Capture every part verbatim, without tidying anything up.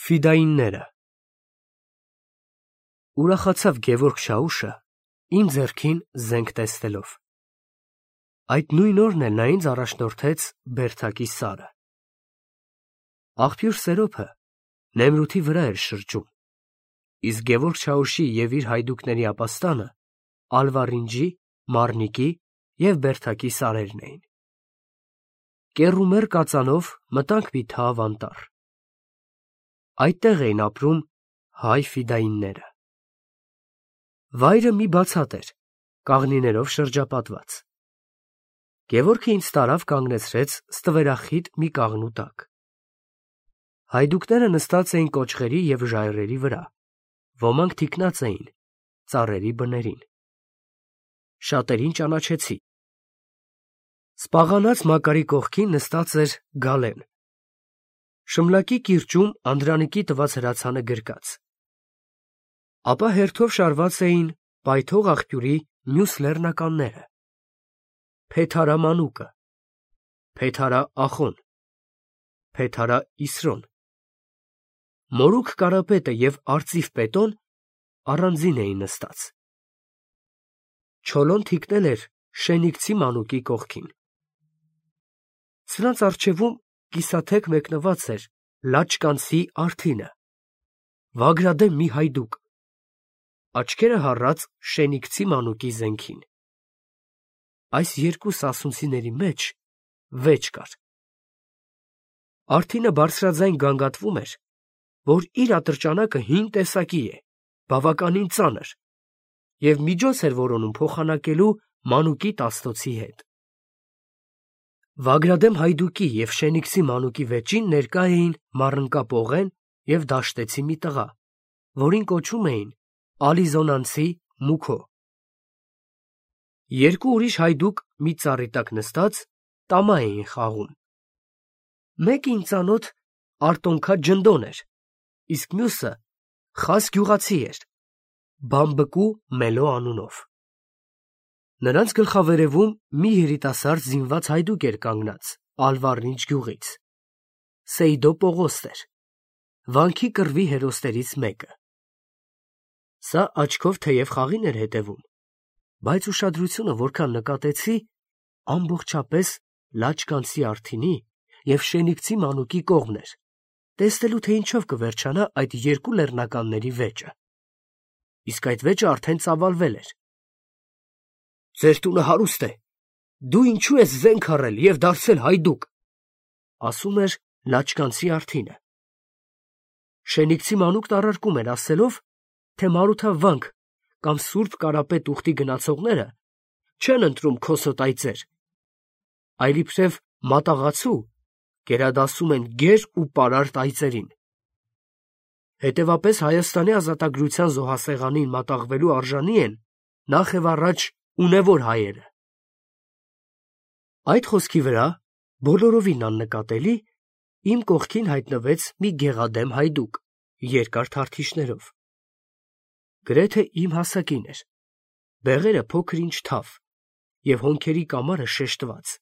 Ֆիդայինները Ուրախացավ Գևորգ Շաուշը իմ ձեռքին զենք տեսնելով։ Այդ նույն օրն էլ նա ինձ առաջնորդեց Բերդակի սարը։ Աղբյուր Սերոփը Նեմրութի վրա էր շրջում, իսկ Գևորգ Շաուշի և իր հայդուկների ապաստանը Ալվարինջի, Մարնիկի և Բերդակի սարերն էին։ Կեռումեր կածանով մտանք մի թավ անտառ։ Այդտեղ էին ապրում հայ ֆիդայինները։ Վայրը մի բացատ էր, կաղնիներով շրջապատված։ Գևորգը ինձ տարավ կանգնեցրեց ստվերախիտ մի կաղնու տակ։ Հայդուկները նստած էին կոճղերի և ժայռերի վրա, ոմանք թիկնած էին ծառերի բներին։ Շատերին ճանաչեցի։ Սպաղանած Մակարի կողքին նստած էր Գալեն։ Շմլակի կիրճում Անդրանիկի տված հրացանը գրկած։ Ապա հերթով շարված էին պայթող աղբյուրի մյուս լեռնականները. Փեթարա Մանուկը, Փեթարա Ախոն, Փեթարա Իսրոն։ Մորուք Կարապետը և Արծիվ Պետոն առանձին էին նստած։ Չոլոն թիկնել էր Շենիքցի Մանուկի կողքին։ Սրանց առջևում կիսաթեք մեկնված էր Լաչկանցի Արթինը, Վագրադեմ մի հայդուկ, աչքերը հառած Շենիքցի Մանուկի զենքին։ Այս երկու սասունցիների մեջ վեճ կար։ Արթինը բարձրաձայն գանգատվում էր, որ իր ատրճանակը հին տեսակի է, բավականին ծանր, և միջոց էր որոնում փոխանակելու Մանուկի տասնոցի հետ։ Վագրադեմ հայդուկի և Շենիքցի Մանուկի վեճին ներկա էին Մառնկա և Դաշտեցի մի տղա, որին կոչում էին Ալիզոնանցի Մուքո։ Երկու ուրիշ հայդուկ մի ծառի տակ նստած տամա էին խաղում։ Մեկը ինձանոտ Արտոնքա Ջնդոն էր, իսկ մյուսը խազ գյուղացի էր, Բամբկու Մելո անունով։ Նրանց գլխավերևում մի երիտասարդ զինված հայդուկ էր կանգնած Ալվարինջ գյուղից։ Սեյդո Պողոստ էր, վանքի կռվի հերոսներից մեկը։ Սա աչքով թեև խաղին էր հետևում, բայց ուշադրությունը որքան նկատեցի, ամբողջապես Լաչկանցի Արթինի և Շենիքցի Մանուկի կողմն էր, տեսնելու, թե ինչով կվերջանա այդ երկու լեռնականների վեճը։ Իսկ այդ վեճը արդեն ծավալվել էր։ «Ձեր տունը հարուստ է, դու ինչու ես զենք առել և դարձել հայդուկ», ասում էր Լաչկանցի Արթինը։ Շենիքցի Մանուկն առարկում էր ասելով, թե Մարութավանք կամ Սուրբ Կարապետ ուխտի գնացողները չեն ընտրում քոսոտ այծեր, այլ իբրև մատաղացու գերադասում են գեր ու պարարտ այծերին։ Հետևապես Հայաստանի ազատագրության զոհասեղանին մատաղվելու արժանի են նախ և առաջ ունևոր հայերը։ Այդ խոսքի վրա, բոլորովին աննկատելի, իմ կողքին հայտնվեց մի գեղադեմ հայդուկ, երկար թարթիչներով։ Գրեթե իմ հասակին էր, բեղերը փոքր-ինչ թավ և հոնքերի կամարը շեշտված։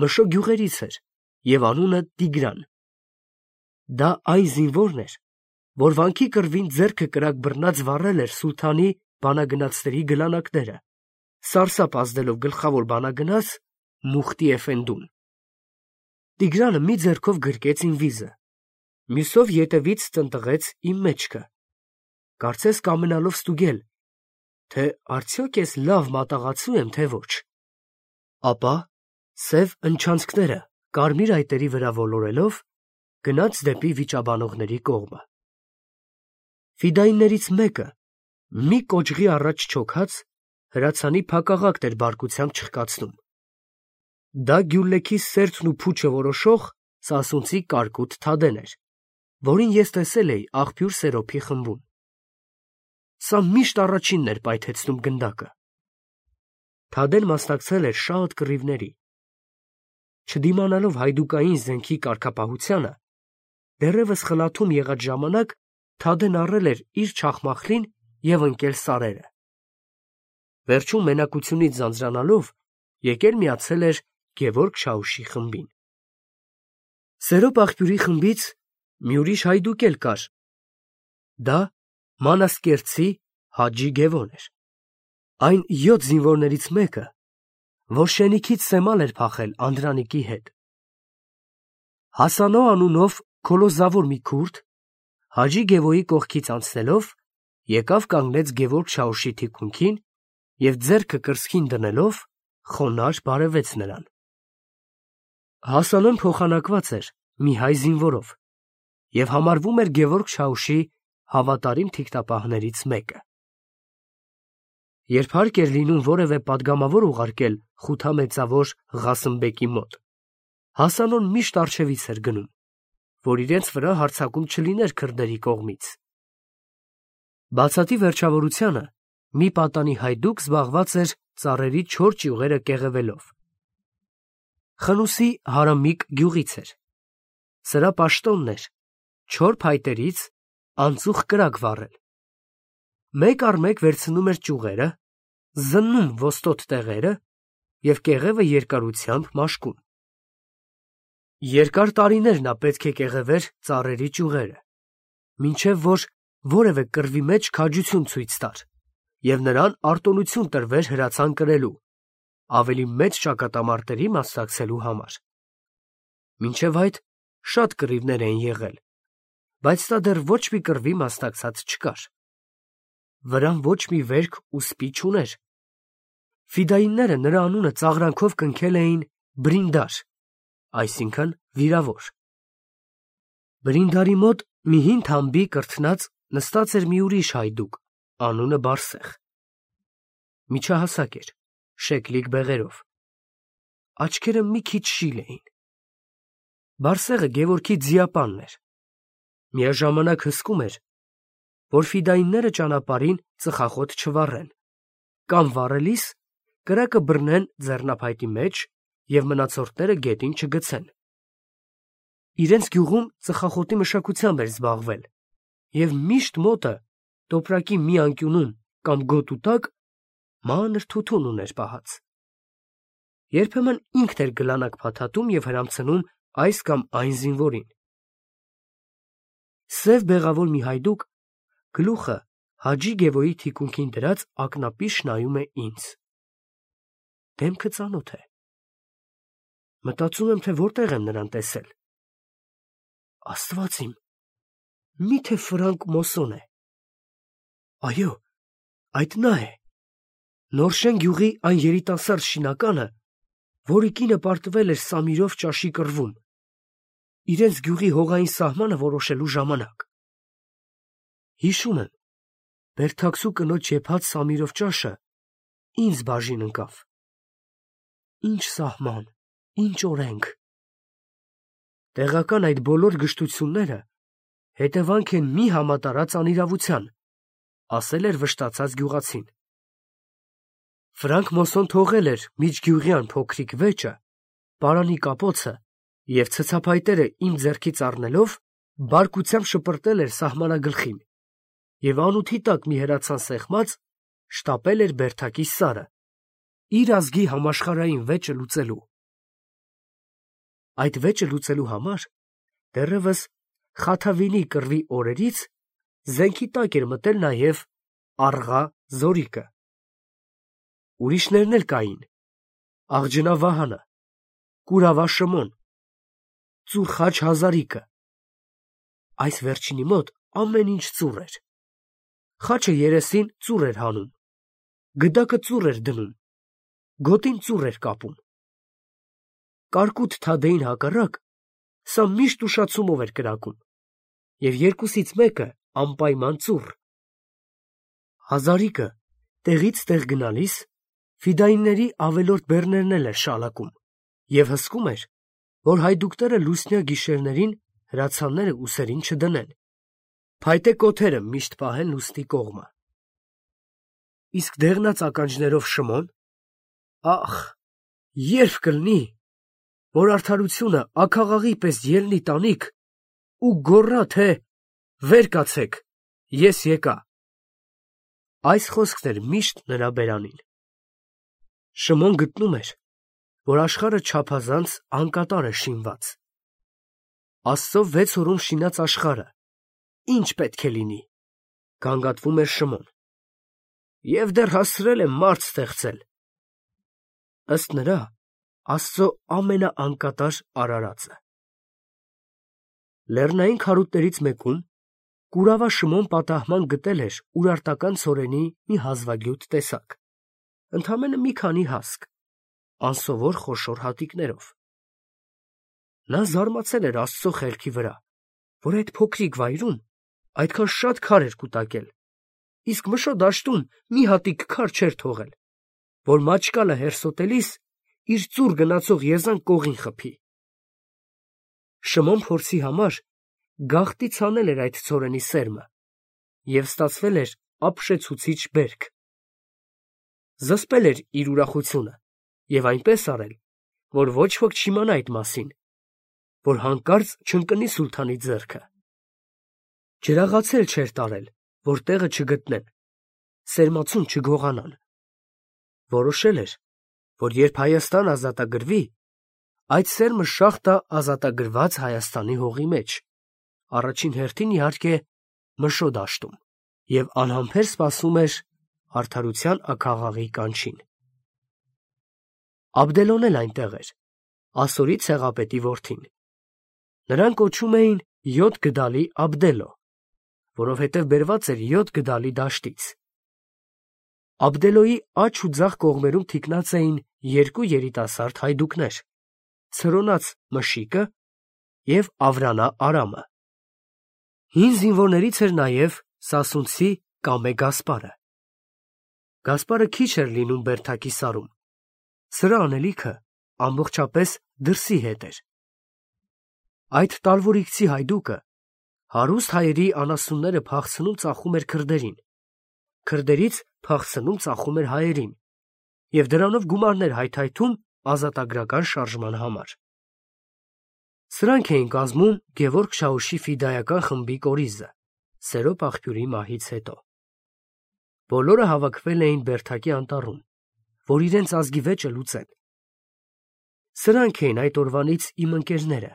Մշո գյուղերից էր և անունը Տիգրան։ Դա այն զինվորն էր, որ վանքի կռվին ձեռքը կրակ բռնած վառել էր սուլթանի բանագնացների գլանակները, սարսափ ազդելով գլխավոր բանագնաց Մուխտի Էֆենդուն։ Տիգրանը մի ձեռքով գրկեց իմ վիզը, մյուսով ետևից տնտղեց իմ մեջքը, կարծես կամենալով ստուգել, թե արդյոք ես լավ մատաղացու եմ, թե ոչ։ Ապա սև ընչանցքները կարմիր այտերի վրա ոլորելով, գնաց դեպի վիճաբանողների կողմը։ Ֆիդայիններից մեկը, մի կոճղի առաջ չոքած, հրացանի փակաղակտ էր բարկությամբ չխկացնում։ Դա Գյուլլեքի սերտն ու փուչը որոշող սասունցի կարկուտ Թադեն էր, որին ես տեսել էի աղբյուր Սերոփի խմբում։ Սա միշտ առաջինն էր պայթեցնում գնդակը։ Թադեն մասնակցել էր շատ կռիվների։ Չդիմանալով հայդուկային զենքի կարգապահությանը, դեռևս խլաթում եղած ժամանակ Թադեն առել էր իր չախմախլին և ընկել սարերը։ Վերջում մենակությունից ձանձրանալով եկել միացել էր Գևորգ Շաուշի խմբին։ Սերոփ աղբյուրի խմբից մի ուրիշ հայդուկ էլ կար. դա Մանասկերտցի Հաջի Գևոն էր, այն յոթ զինվորներից մեկը, որ շենիքից սեմալ էր փախել Անդրանիկի հետ։ Հասանո անունով քոլոզավոր մի քուրդ, Հաջի Գևոյի կողքից անցնելով, եկավ կանգնեց Գևորգ Շաուշի թիկունքին և ձեռքը կրծքին դնելով խոնարհ բարևեց նրան։ Հասանոն փոխանակված էր մի հայ զինվորով և համարվում էր Գևորգ Շաուշի հավատարիմ թիկնապահներից մեկը։ Երբ հարկ էր լինում որևէ պատգամավոր ուղարկել խութամեծավոր Ղասիմբեկի մոտ, Հասանոն միշտ առջևից էր գնում, որ իրենց վրա հարձակում չլիներ քրդերի կողմից։ Բացատի վերջավորությանը մի պատանի հայդուկ զբաղված էր ծառերի չոր ճյուղերը կեղևելով։ Խնուսի Հարամիկ գյուղից էր։ Սրա պաշտոնն էր չոր փայտերից անծուխ կրակ վառել։ Մեկ առ մեկ վերցնում էր ճյուղերը, զննում ոստոտ տեղերը և կեղևը երկարությամբ մաշկում։ Երկար տարիներ նա պետք է կեղևեր ծառերի ճյուղերը, մինչև որ որևէ կռվի մեջ քաջություն ցույց տար և նրան արտոնություն տրվեր հրացան կրելու, ավելի մեծ ճակատամարտերի մասնակցելու համար։ Մինչև այդ շատ կռիվներ էին եղել, բայց նա դեռ ոչ մի կռվի մասնակցած չկար։ Վրան ոչ մի վերք ու սպի չուներ։ Ֆիդայինները նրա անունը ծաղրանքով կնքել էին Բրինդար, այսինքն վիրավոր։ Բրինդարի մոտ մի հին թամբի կրթնած նստած էր մի ուրիշ հայդուկ, անունը Բարսեղ։ Միջահասակ էր, շեկլիկ բեղերով։ Աչքերը մի քիչ շիլ էին։ Բարսեղը Գևորգի ձիապանն էր։ Միաժամանակ հսկում էր, որ ֆիդայինները ճանապարհին ծխախոտ չվառեն, կամ վառելիս կրակը բռնեն ձեռնափայտի մեջ և մնացորդները գետին չգցեն։ Իրենց գյուղում ծխախոտի մշակությամբ էր զբաղվել և միշտ մոտը տոպրակի մի անկյունում կամ գոտու տակ մանր թութուն ուներ պահած։ Երբեմն ինքն էր գլանակ փաթաթում և հրամցնում այս կամ այն զինվորին։ Սև բեղավոր մի հայդուկ գլուխը Հաջի Գևոյի թիկունքին դրած ակնապիշ նայում է ինձ։ Դեմքը ծանոթ է։ Մտածում եմ, թե որտեղ եմ նրան տեսել։ Աստված իմ, միթե Ֆրանկ Մոսոն է։ Այո, այդ նա է։ Նորշեն գյուղի այն երիտասարդ շինականը, որի կինը պարտվել էր Սամիրով ճաշի կռվում, իրենց գյուղի հողային սահմանը որոշելու ժամանակ։ Հիշում եմ, Բերդաքսու կնոջ եփած Սամիրով ճաշը ինձ բաժին ընկավ։ Ինչ սահման, ինչ օրենք։ Տեղական այդ բոլոր գժտությունները հետևանք են մի համատարած անիրավության, ասել էր վշտացած գյուղացին։ Ֆրանկ Մոսոն թողել էր միջգյուղյան փոքրիկ վեճը, պարանի կապոցը և ցցափայտերը իմ ձեռքից առնելով բարկությամբ շպրտել էր սահմանագլխին և անութի տակ մի հրացան սեղմած շտապել էր Բերդակի սարը, իր ազգի համաշխարհային վեճը լուծելու։ Այդ վեճը լուծելու համար դեռևս Խաթավինի կռվի օրերից զենքի տակ էր մտել նաև Աղա Զորիկը։ Ուրիշներն էլ կային. Աղջնա Վահանը, Կուրավա Շմոն, Ծուռ Խաչ Հազարիկը։ Այս վերջինի մոտ ամեն ինչ ծուռ էր։ Խաչը երեսին ծուռ էր հանում, գդակը ծուռ էր դնում, գոտին ծուռ էր կապում։ Կարկուտ Թադեին հակառակ, սա միշտ ուշացումով էր կրակում, և երկուսից մեկը անպայման ծուռ։ Հազարիկը տեղից տեղ գնալիս ֆիդայինների ավելորդ բեռներն էլ էր շալակում և հսկում էր, որ հայդուկները լուսնյա գիշերներին հրացանները ուսերին չդնեն, փայտե կոթերը միշտ պահեն լուսնի կողմը։ Իսկ դեղնած ականջներով Շմոն, ախ, երբ կլինի, որ արդարությունը աքաղաղի պես ելնի տանիք ու գոռա, թե «Վեր կացեք, ես եկա»։ Այս խոսքն էր միշտ նրա բերանին։ Շմոն գտնում էր, որ աշխարհը չափազանց անկատար է շինված։ Աստծո վեց օրում շինած աշխարհը, ինչ պետք է լինի, գանգատվում էր Շմոն, և դեռ հասցրել եմ մարդ ստեղծել, ըստ նրա, Աստծո ամենաանկատար արարածը։ Լեռնային քարուտներից մեկում կուրավա Շմոն պատահման գտել էր ուրարտական ցորենի մի հազվագյուտ տեսակ, ընդամենը մի քանի հասկ, անսովոր խոշոր հատիկներով։ Նա զարմացել էր Աստծո խելքի վրա, որ այդ փոքրիկ վայրում այդքան շատ քար էր կուտակել, իսկ Մշո դաշտում մի հատիկ քար չէր թողել, որ մաճկալը հերսոտելիս իր ծուռ գնացող եզան կողին խփի։ Շմոն փորձի համար գաղտնի ցանել էր այդ ցորենի սերմը, և ստացվել էր ապշեցուցիչ բերք։ Զսպել էր իր ուրախությունը և այնպես արել, որ ոչ ոք չիմանա այդ մասին, որ հանկարծ չընկնի սուլթանի ձեռքը։ Ջրաղացել չէր տարել, որ տեղը չգտնեն, սերմացուն չգողանան։ Որոշել էր, որ երբ Հայաստան ազատագրվի, այդ սերմը շաղ տա ազատագրված Հայաստանի հողի մեջ, առաջին հերթին իհարկե Մշո դաշտում, և անհամբեր սպասում էր արդարության աքաղաղի կանչին։ Աբդելոն էլ այնտեղ էր, Ասորի ցեղապետի որդին։ Նրան կոչում էին յոթ գդալի Աբդելո, որովհետև բերված էր յոթ գդալի դաշտից։ Աբդելոյի աջ ու ձախ կողմերում թիկնած էին երկու երիտասարդ հայդուկներ՝ ցրոնած Մշիկը և Ավրանա Արամը։ Հին զինվորներից էր նաև սասունցի Կամե Գասպարը։ Գասպարը քիչ էր լինում բերդակի սարում, սրա անելիքը ամբողջապես դրսի հետ էր։ Այդ տալվորիկցի հայդուկը հարուստ հայերի անասունները փախցնում ծախում էր քրդերին, քրդերից փախցնում ծախում էր հայերին, և դրանով գումարներ հայթայթում ազատագրական շարժման համար։ Սրանք էին կազմում Գևորգ Շահուշի ֆիդայական խմբի կորիզը Սերոբ աղբյուրի մահից հետո։ Բոլորը հավաքվել էին Բերդակի անտառում, որ իրենց ազգի վեճը լուծեն։ Սրանք էին այդ օրվանից իմ ընկերները,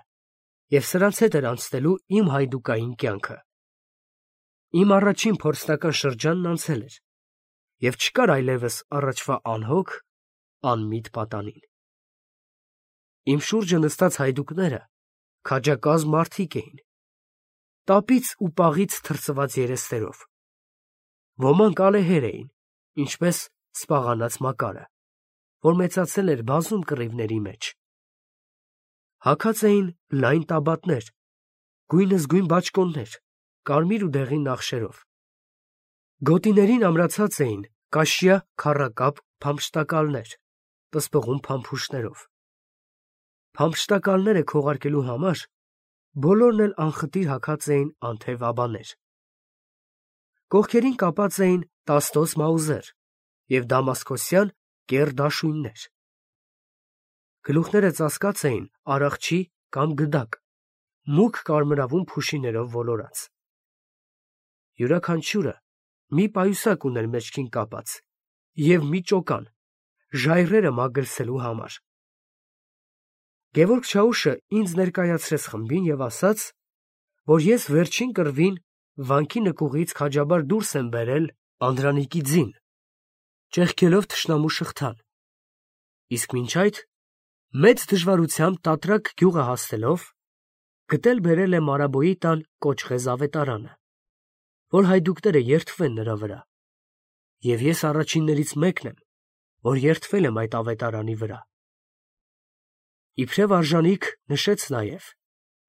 և սրանց հետ էր անցնելու իմ հայդուկային կյանքը։ Իմ առաջին փորձնական շրջանն անցել էր, և չկար այլևս առաջվա անհոգ, անմիտ պատանին։ Իմ շուրջը նստած հայդուկները քաջակազմ մարդիկ էին, տապից ու պաղից թրծված երեսներով։ Ոմանք ալեհեր էին, ինչպես սպաղանած Մակարը, որ մեծացել էր բազում կռիվների մեջ։ Հագած էին լայն տաբատներ, գույնզգույն բաճկոններ, կարմիր ու դեղին նախշերով։ Գոտիներին ամրացած էին կաշյա քառակապ փամփշտակալներ, պսպղուն փամփուշտներով։ Փամփշտակալները քողարկելու համար բոլորն էլ անխտիր հագած էին անթև աբաներ։ Կողքերին կապած էին տաստոս մաուզեր և դամասկոսյան կեռ դաշույններ։ Գլուխները ծածկած էին արախչի կամ գդակ, մուգ կարմրավուն փուշիներով ոլորած։ Յուրաքանչյուրը մի պայուսակ ուներ մեջքին կապած և մի ճոկան, ժայռերը մագլցելու համար։ Գևորգ Շահուշը ինձ ներկայացրեց խմբին և ասաց, որ ես վերջին կռվին վանքի նկուղից քաջաբար դուրս եմ բերել Անդրանիկի ձին, ճեղքելով թշնամու շղթան, իսկ մինչ այդ մեծ դժվարությամբ Տատրակ գյուղը հասնելով գտել բերել եմ Մարաբոյի տան Կոճղեզ ավետարանը, որ հայդուկները երդվեն նրա վրա, և ես առաջիններից մեկն եմ, որ երդվել եմ այդ ավետարանի վրա։ Իբրև արժանիք նշեց նաև,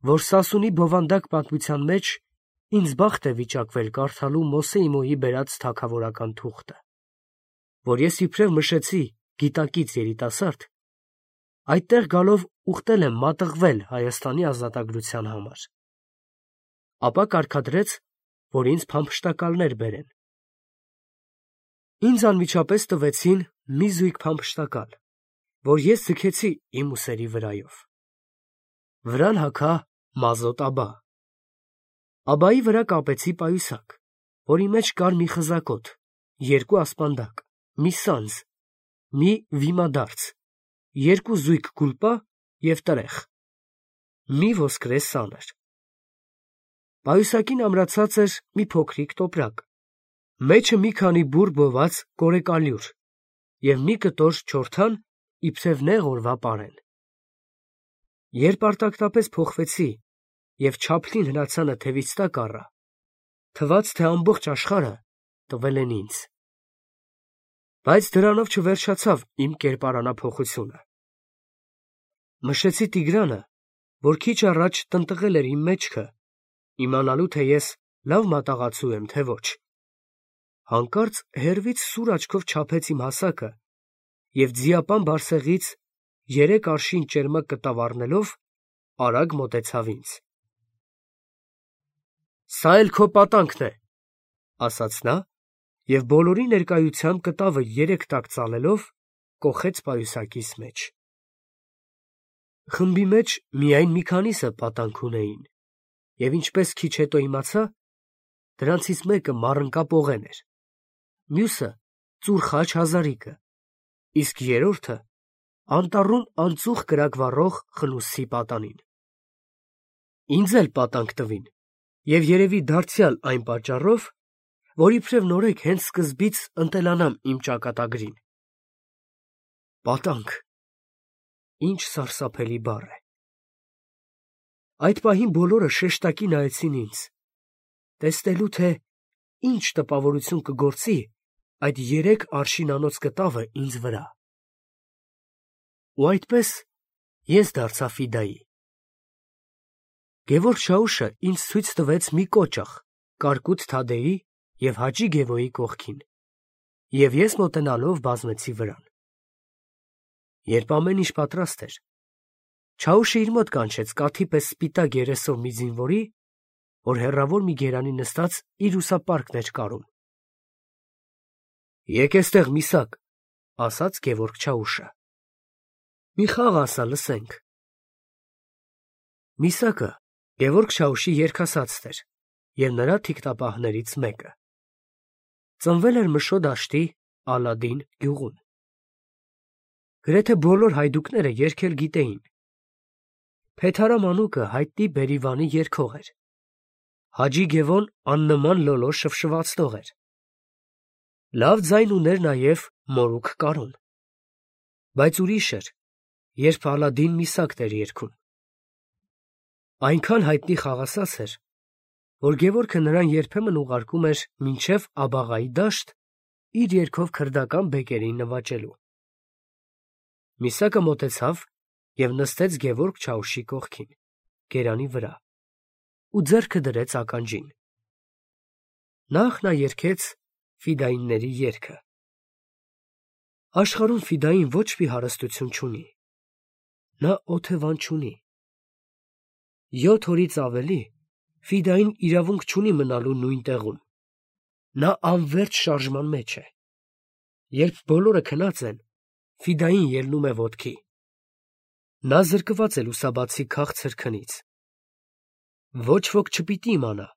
որ Սասունի բովանդակ պատմության մեջ ինձ բախտ է վիճակվել կարդալու Մոսեի Մոյի բերած թագավորական թուղթը, որ ես իբրև Մշեցի գիտակից երիտասարդ այդտեղ գալով ուխտել եմ մատղվել Հայաստանի ազատագրության համար։ Ապա կարգադրեց, որ ինձ փամփշտակալներ բերեն։ Ինձ անմիջապես տվեցին մի զույգ փամփշտակալ, որ ես ձգեցի իմ ուսերի վրայով։ Վրան հագա մազոտ աբա։ Աբայի վրա կապեցի պայուսակ, որի մեջ կար մի խզակոտ, երկու ասպանդակ, մի սանձ, մի վիմադարձ, երկու զույգ գուլպա և տրեխ։ մի ոսկրե սան էր։ Պայուսակին ամրացած էր մի փոքրիկ տոպրակ, մեջը մի քանի բուռ բոված կորեկալյուր և մի կտոր չորթան իբրև նեղ օրվա պարեն։ Երբ արտակտապես փոխվեցի և չափլին հրացանը թևից տակ առա, թվաց, թե ամբողջ աշխարհը տվել են ինձ։ Բայց դրանով չվերջացավ իմ կերպարանափոխությունը։ Մշեցի Տիգրանը, որ քիչ առաջ տնտղել էր իմ մեջքը, իմանալու, թե ես լավ մատաղացու եմ, թե ոչ։ Հանկարծ հեռվից սուր աչքով չափեց իմ հասակը և ձիապան բարսեղից երեք արշին ճերմակ կտավ առնելով, արագ մոտեցավ ինձ։ «Սա էլ քո պատանքն է», ասաց նա և բոլորի ներկայությամբ կտավը երեք տակ ծալելով, կոխեց պայուսակիս մեջ։ Խմբի մեջ միայն մի քանիսը պատանք ունեին, և ինչպես քիչ հետո իմացա, դրանցից մեկը մառընկա պողեն էր, մյուսը ծուռ խաչ հազարիկը, իսկ երրորդը անտառում անծուխ կրակ վառող խլույսի պատանին։ Ինձ էլ պատանք տվին, և երևի դարձյալ այն պատճառով, որ իբրև նորեկ հենց սկզբից ընտելանամ իմ ճակատագրին։ Պատանք… Ինչ սարսափելի բառ է։ Այդ պահին բոլորը շեշտակի նայեցին ինձ, տեսնելու, թե ինչ տպավորություն կգործի այդ երեք արշինանոց կտավը ինձ վրա։ Ու այդպես ես դարձա ֆիդայի։ Գևորգ Շաուշը ինձ ցույց տվեց մի կոճղ Կարկուտ Թադեի և Հաճի Գևոյի կողքին, և ես մոտենալով բազմեցի վրան։ Երբ ամեն ինչ պատրաստ էր, Չաուշը իր մոտ կանչեց կաթի պես սպիտակ երեսով մի զինվորի, որ հեռավոր մի գերանի նստած իր ուսապարկն էր կարում։ «Եկ էստեղ, Միսակ», ասաց Գևորգ Չաուշը։ «Մի խաղ ասա, լսենք»։ Միսակը Գևորգ Շաուշի երգասացն էր և նրա թիկնապահներից մեկը։ Ծնվել էր Մշո դաշտի Ալադին գյուղում։ Գրեթե բոլոր հայդուկները երգել գիտեին։ Փեթարա մանուկը հայտնի բերիվանի երգող էր։ Հաջի Գևոն աննման լոլո շվշվացնող էր։ Լավ ձայն ուներ նաև Մորուք Կարուն։ Բայց ուրիշ էր, երբ Ալադին Միսակն էր երգում։ Այնքան հայտնի խաղասաց էր, որ Գևորգը նրան երբեմն ուղարկում էր մինչև Աբաղայի դաշտ իր երգով քրդական բեկերին նվաճելու։ Միսակը մոտեցավ և նստեց Գևորգ Չաուշի կողքին, գերանի վրա, ու ձեռքը դրեց ականջին։ Նախ նա երգեց ֆիդայինների երգը։ Աշխարհում ֆիդային ոչ մի հարստություն չունի։ Նա օթևան չունի։ Յոթ օրից ավելի ֆիդային իրավունք չունի մնալու նույն տեղում։ Նա անվերջ շարժման մեջ է։ Երբ բոլորը քնած են, ֆիդային ելնում է ոտքի։ Նա զրկված է լուսաբացի քաղցր քնից։ Ոչ ոք չպիտի իմանա,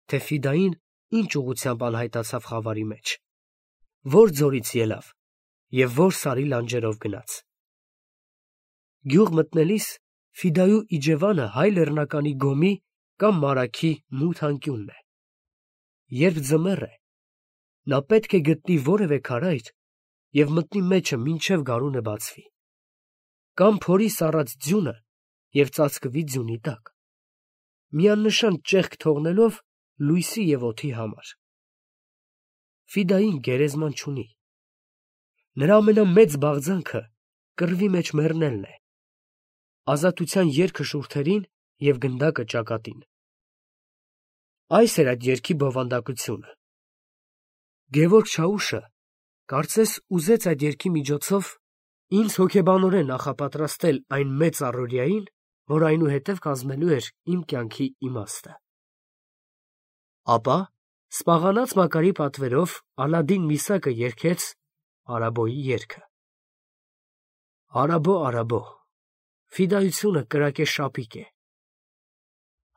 թե ֆիդային ինչ ուղղությամբ անհայտացավ խավարի մեջ, որ ձորից ելավ և որ սարի լանջերով գնաց։ Գյուղ մտնելիս ֆիդայու իջևանը հայ լեռնականի գոմի կամ մարագի մութ անկյունն է։ Երբ ձմեռ է, նա պետք է գտնի որևէ քարայր և մտնի մեջը մինչև գարունը բացվի, կամ փորի սառած ձյունը և ծածկվի ձյունի տակ, միանշան ճեղք թողնելով լույսի և օդի համար։ Ֆիդային գերեզման չունի։ Նրա ամենամեծ բաղձանքը կռվի մեջ մեռնելն է, ազատության երգը շուրթերին և գնդակը ճակատին։ Այս էր այդ երգի բովանդակությունը։ Գևորգ Չաուշը կարծես ուզեց այդ երգի միջոցով ինձ հոգեբանորեն նախապատրաստել այն մեծ առօրյային, որ այնուհետև կազմելու էր իմ կյանքի իմաստը։ Ապա սպաղանած Մակարի պատվերով Ալադին Միսակը երգեց Արաբոյի երգը։ Արաբո, Արաբո, ֆիդայությունը կրակե շապիկ է։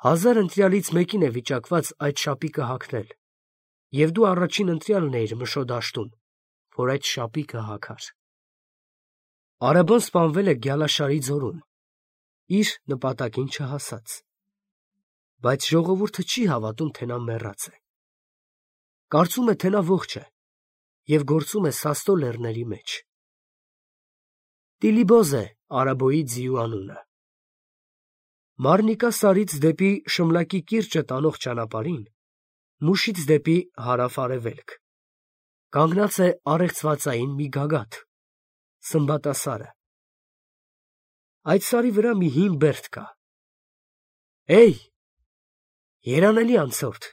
Հազար ընտրյալից մեկին է վիճակված այդ շապիկը հագնել, և դու առաջին ընտրյալն էիր Մշո դաշտում, որ այդ շապիկը հագար։ Արաբոն սպանվել է Գյալաշարի ձորում, իր նպատակին չհասած։ Բայց ժողովուրդը չի հավատում, թե նա մեռած է։ Կարծում է, թե նա ողջ է և գործում է Սաստո լեռների մեջ։ Տիլիբոզ է Արաբոյի ձիու անունը։ Մարնիկա սարից դեպի Շմլակի կիրճը տանող ճանապարհին, Մուշից դեպի հարավ-արևելք, կանգնած է առեղծվածային մի գագաթ, Սմբատասարը։ Այդ սարի վրա մի հին բերդ կա։ Էյ, երանելի անցորդ,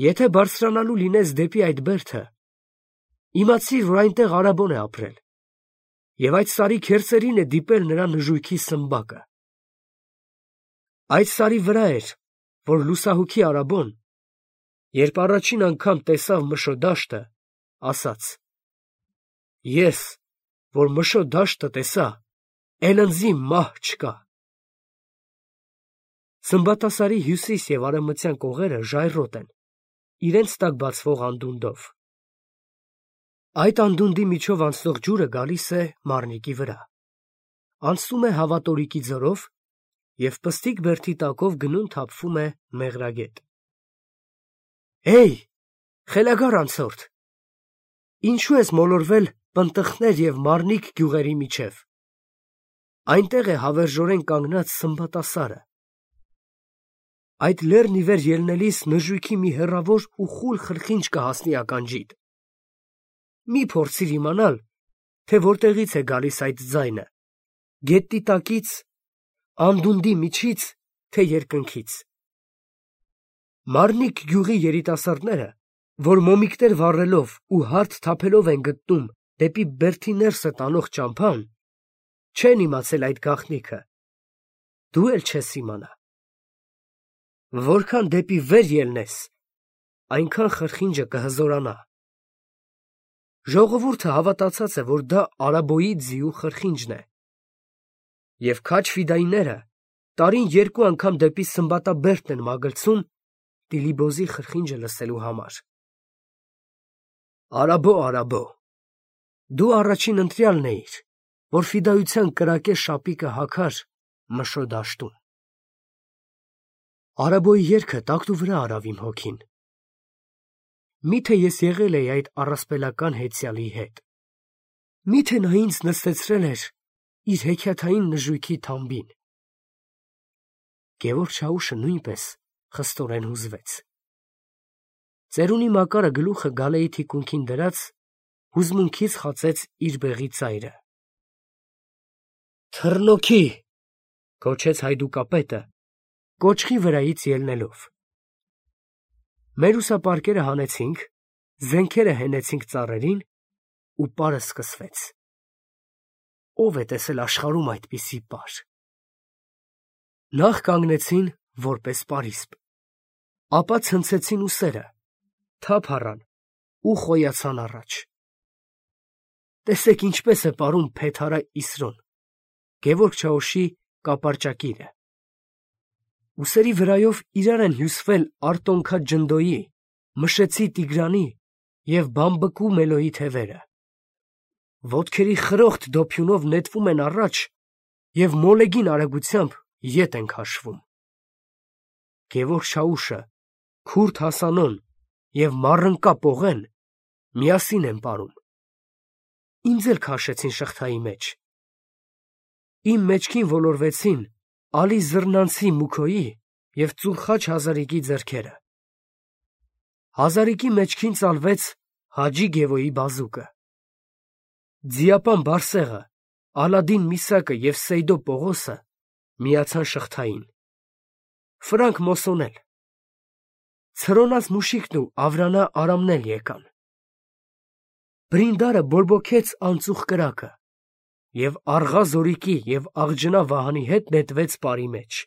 եթե բարձրանալու լինես դեպի այդ բերդը, իմացիր, որ այնտեղ Արաբոն է ապրել, և այդ սարի քերծերին է դիպել նրա նժույգի սմբակը։ Այդ սարի վրա էր, որ լուսահոգի Արաբոն, երբ առաջին անգամ տեսավ Մշո դաշտը, ասաց. «Ես, որ Մշո դաշտը տեսա, էլընձի մահ չկա»։ Սմբատասարի հյուսիս և արևմտյան կողերը ժայռոտ են, իրենց տակ բացվող անդունդով։ Այդ անդունդի միջով անցնող ջուրը գալիս է Մարնիկի վրա, անցնում է Հավատորիկի ձորով և պստիկ բերդի տակով գնում թափվում է Մեղրագետ։ Էյ, խելագար անցորդ, ինչու ես մոլորվել Պնդխներ և Մարնիկ գյուղերի միջև։ Այնտեղ է հավերժորեն կանգնած Սմբատասարը։ Այդ լեռն ի վեր ելնելիս նժույգի մի հեռավոր ու խուլ խրխինջ կհասնի ականջիդ։ Մի փորձիր իմանալ, թե որտեղից է գալիս այդ ձայնը, գետնի տակից, անդունդի միջից, թե երկնքից։ Մարնիկ գյուղի երիտասարդները, որ մոմիկներ վառելով ու հարթ թափելով են գտնում դեպի բերդի ներսը տանող ճամփան, չեն իմացել այդ գաղտնիքը, դու էլ չես իմանա։ Որքան դեպի վեր ելնես, այնքան խրխինջը կհզորանա։ Ժողովուրդը հավատացած է, որ դա Արաբոյի ձիու խրխինջն է, և քաջ֊ֆիդայիները տարին երկու անգամ դեպի Սմբատաբերդն են մագլցում Տիլիբոզի խրխինջը լսելու համար։ Արաբո, Արաբո, դու առաջին ընտրյալն էիր, որ ֆիդայության կրակե շապիկը հագար Մշո դաշտում։ Արաբոյի երգը տակտու վրա արավ իմ հոգին։ Միթե ես եղել էի այդ առասպելական հեծյալի հետ։ Միթե նա ինձ նստեցրել էր իր հեքիաթային նժույգի թամբին։ Գևորգ Չաուշը նույնպես խստորեն հուզվեց։ Ծերունի Մակարը գլուխը գալեի թիկունքին դրած, հուզմունքից խածեց իր բեղի ծայրը։ Թռնոքի, գոչեց հայդուկապետը, կոճղի վրայից ելնելով։ Մերուսապարկերը հանեցինք, զենքերը հենեցինք ծառերին ու պարը սկսվեց։ Ո՞վ է տեսել աշխարհում այդպիսի պար։ Նախ կանգնեցին որպես պարիսպ, ապա ցնցեցին ուսերը, թափ առան ու խոյացան առաջ։ Տեսեք ինչպես է պարում Փեթարա Իսրոն, Գևորգ Չաուշի կապարճակիրը։ Ուսերի վրայով իրար են հյուսվել Արտոնքա Ջնդոյի, Մշեցի Տիգրանի և Բամբկու Մելոյի թևերը։ Ոտքերի խրոխտ դոփյունով նետվում են առաջ և մոլեգին արագությամբ ետ են քաշվում։ Գևորգ Չաուշը, Քուրդ Հասանոն և Մառընկա Պողեն միասին են պարում։ Ինձ էլ քաշեցին շղթայի մեջ։ Իմ մեջքին ոլորվեցին Ալի Զռնանցի Մուքոյի և Ծուլխաչ Հազարիկի ձեռքերը։ Հազարիկի մեջքին ծալվեց Հաջի Գևոյի բազուկը։ Ձիապան Բարսեղը, Ալադին Միսակը և Սեյդո Պողոսը միացան շղթային։ Ֆրանկ Մոսոն էլ։ Ցրոնած Մուշիկն ու Ավրանա Արամն էլ եկան։ Բրինդարը բորբոքեց անծուխ կրակը և Աղա Զորիկի և Աղջնա Վահանի հետ նետվեց պարի մեջ։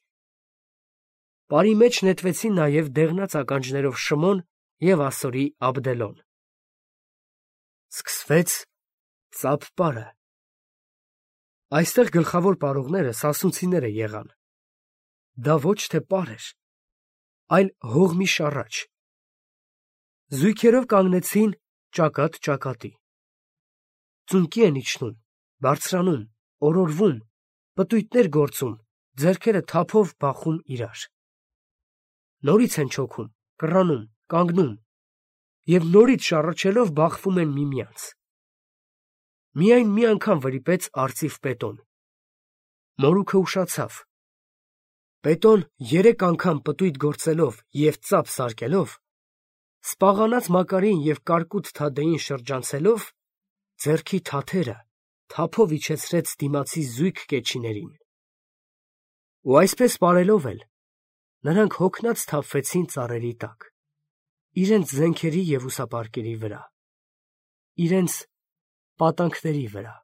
Պարի մեջ նետվեցին նաև դեղնած ականջներով Շմոն և ասորի Աբդելոն։ Սկսվեց ծափ պարը։ Այստեղ գլխավոր պարողները սասունցիները եղան։ Դա ոչ թե պար էր, այլ հողմի շառաչ։ Զույգերով կանգնեցին ճակատ ճակատի։ Ծունկի են իջնում, բարձրանում, օրորվում, պտույտներ գործում, ձեռքերը թափով բախում իրար։ Նորից են չոքում, կռանում, կանգնում և նորից շառաչելով բախվում են միմյանց։ Միայն մի անգամ վրիպեց արծիվ Պետոն։ Մորուքը ուշացավ։ Պետոն երեք անգամ պտույտ գործելով և ծափ սարքելով, սպաղանած Մակարին և կարկուտ Թադեին շրջանցելով, ձեռքի թաթերը թափով իջեցրեց դիմացի զույգ կեչիներին։ Ու այսպես պարելով էլ, նրանք հոգնած թափվեցին ծառերի տակ, իրենց զենքերի և ուսապարկերի վրա, իրենց պատանքների վրա։